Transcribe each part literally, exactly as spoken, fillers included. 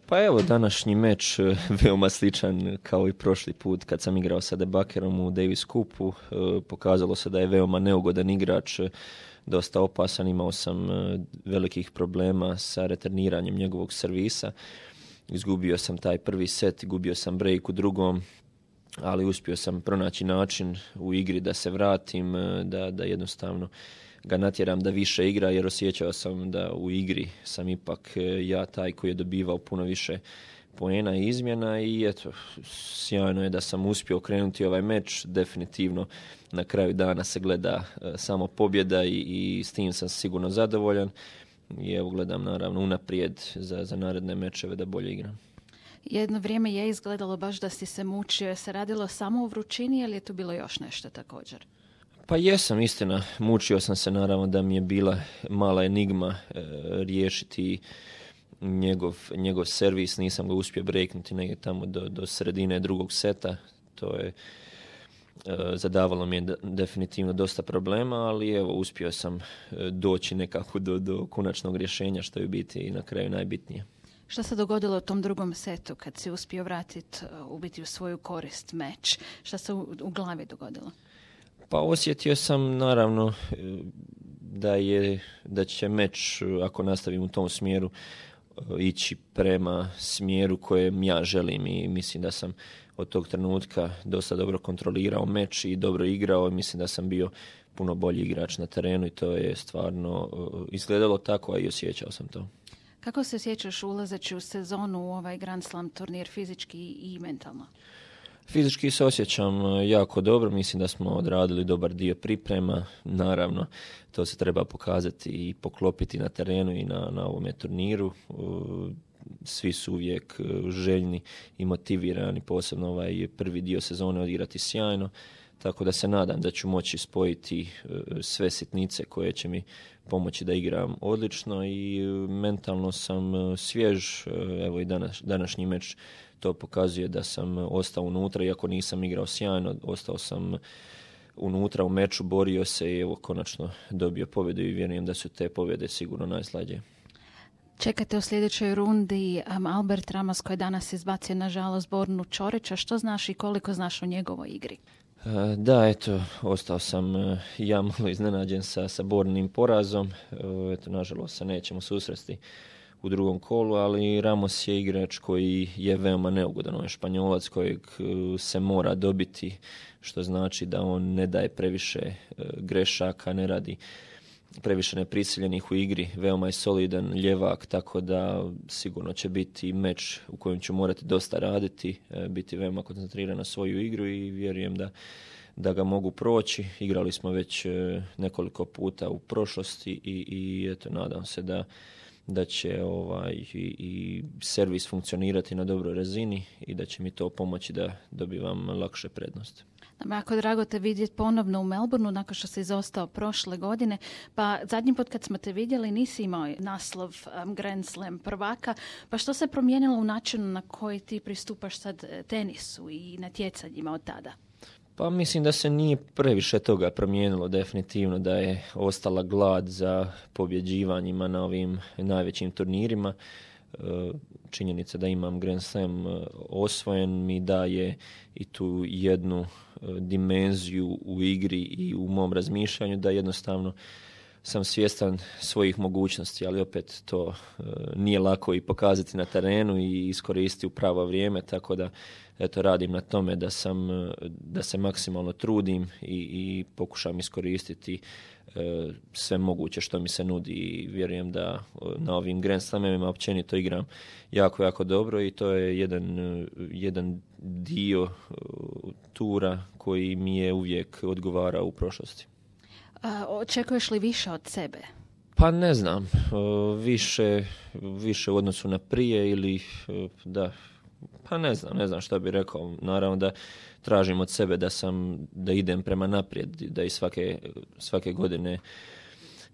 Pa evo, današnji meč veoma sličan kao i prošli put kad sam igrao sa Debakerom u Davis Cupu. Pokazalo se da je veoma neugodan igrač, dosta opasan, imao sam velikih problema sa returniranjem njegovog servisa. Izgubio sam taj prvi set, gubio sam break u drugom, ali uspio sam pronaći način u igri da se vratim, da, da jednostavno ga natjeram da više igra, jer osjećao sam da u igri sam ipak ja taj koji je dobivao puno više poena i izmjena i eto, sjajno je da sam uspio okrenuti ovaj meč. Definitivno na kraju dana se gleda samo pobjeda i, i s tim sam sigurno zadovoljan i evo gledam naravno unaprijed za, za naredne mečeve da bolje igram. Jedno vrijeme je izgledalo baš da si se mučio. Se radilo samo o vrućini ili je tu bilo još nešto također? Pa jesam, istina. Mučio sam se naravno da mi je bila mala enigma e, riješiti njegov, njegov servis. Nisam ga uspio breaknuti negdje tamo do, do sredine drugog seta. To je e, zadavalo mi je da, definitivno dosta problema, ali evo uspio sam doći nekako do, do konačnog rješenja, što je u biti i na kraju najbitnije. Šta se dogodilo u tom drugom setu kad si uspio vratiti u biti u svoju korist meč? Šta se u, u glavi dogodilo? Pa osjetio sam naravno da je da će meč, ako nastavim u tom smjeru, ići prema smjeru kojem ja želim i mislim da sam od tog trenutka dosta dobro kontrolirao meč i dobro igrao. Mislim da sam bio puno bolji igrač na terenu i to je stvarno izgledalo tako, a i osjećao sam to. Kako se sjećaš ulazeći u sezonu u ovaj Grand Slam turnir fizički i mentalno? Fizički se osjećam jako dobro, mislim da smo odradili dobar dio priprema, naravno to se treba pokazati i poklopiti na terenu i na, na ovome turniru. Svi su uvijek željni i motivirani, posebno ovaj prvi dio sezone odigrati sjajno, tako da se nadam da ću moći spojiti sve sitnice koje će mi pomoći da igram odlično i mentalno sam svjež. Evo i danas, današnji meč to pokazuje da sam ostao unutra, iako nisam igrao sjajno, ostao sam unutra u meču, borio se i evo konačno dobio pobjedu i vjerujem da su te pobjede sigurno najslađe. Čekate u sljedećoj rundi um, Albert Ramos koji je danas izbacio nažalost Bornu Čorića. Što znaš i koliko znaš o njegovoj igri? Da, eto, ostao sam ja malo iznenađen sa, sa Bornim porazom. Eto, nažalost se nećemo susresti u drugom kolu, ali Ramos je igrač koji je veoma neugodan. On je Španjolac kojeg se mora dobiti, što znači da on ne daje previše grešaka, ne radi previše neprisiljenih u igri, veoma je solidan ljevak, tako da sigurno će biti meč u kojem ću morati dosta raditi, biti veoma koncentriran na svoju igru i vjerujem da, da ga mogu proći. Igrali smo već nekoliko puta u prošlosti i, i eto, nadam se da da će ovaj i, i servis funkcionirati na dobroj razini i da će mi to pomoći da dobivam lakše prednosti. Jako drago te vidjeti ponovno u Melbourneu nakon što si izostao prošle godine. Pa zadnji put kad smo te vidjeli nisi imao naslov um, Grand Slam prvaka. Pa što se promijenilo u načinu na koji ti pristupaš sad tenisu i natjecanjima od tada? Pa mislim da se nije previše toga promijenilo, definitivno da je ostala glad za pobjeđivanjima na ovim najvećim turnirima. Činjenica da imam Grand Slam osvojen mi daje i tu jednu dimenziju u igri i u mom razmišljanju da jednostavno sam svjestan svojih mogućnosti, ali opet to nije lako i pokazati na terenu i iskoristiti u pravo vrijeme, tako da eto, radim na tome da sam da se maksimalno trudim i, i pokušam iskoristiti e, sve moguće što mi se nudi i vjerujem da na ovim Grand Slamima općenito igram jako, jako dobro i to je jedan, jedan dio tura koji mi je uvijek odgovarao u prošlosti. A, očekuješ li više od sebe? Pa ne znam, više, više u odnosu na prije ili da, pa ne znam, ne znam šta bih rekao. Naravno da tražim od sebe da sam, da idem prema naprijed, da i svake, svake godine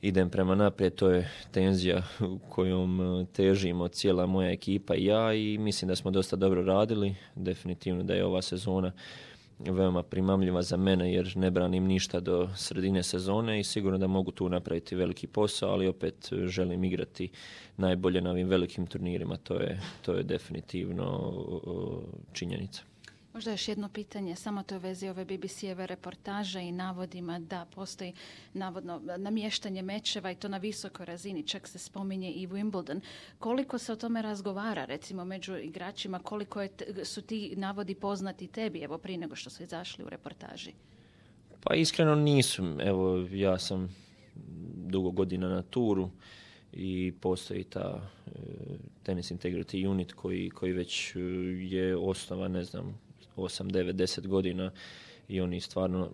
idem prema naprijed, to je tenzija kojom težimo cijela moja ekipa i ja i mislim da smo dosta dobro radili, definitivno da je ova sezona veoma primamljiva za mene jer ne branim ništa do sredine sezone i sigurno da mogu tu napraviti veliki posao, ali opet želim igrati najbolje na ovim velikim turnirima. To je, to je definitivno činjenica. Možda još jedno pitanje, samo to u vezi ove B B C-eve reportaže i navodima da postoji navodno namještanje mečeva i to na visokoj razini, čak se spominje i Wimbledon. Koliko se o tome razgovara, recimo, među igračima, koliko je, su ti navodi poznati tebi, evo, prije nego što su izašli u reportaži? Pa iskreno nisu. Evo, ja sam dugo godina na turu i postoji ta e, Tennis Integrity Unit koji, koji već je osnovan, ne znam, osam, devet, deset godina i oni stvarno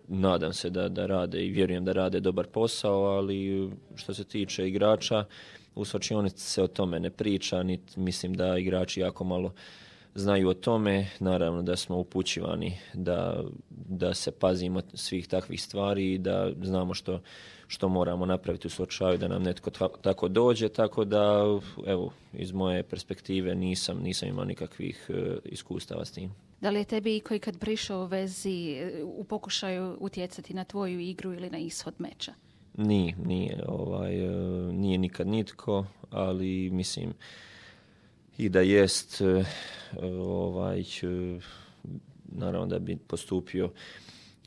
nadam se da, da rade i vjerujem da rade dobar posao, ali što se tiče igrača, u svlačionici se o tome ne priča, niti mislim da igrači jako malo znaju o tome. Naravno da smo upućivani da, da se pazimo svih takvih stvari i da znamo što, što moramo napraviti u slučaju da nam netko tako dođe, tako da evo, iz moje perspektive nisam, nisam imao nikakvih uh, iskustava s tim. Da li je tebi koji kad prišao u vezi u pokušaju utjecati na tvoju igru ili na ishod meča? Nije, nije, ovaj, nije nikad nitko, ali mislim i da jest, ovaj, naravno da bi postupio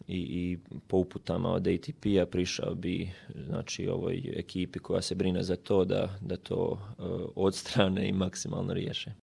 i, i po uputama od A T P-a prišao bi, znači, ovoj ekipi koja se brine za to da, da to odstrane i maksimalno riješe.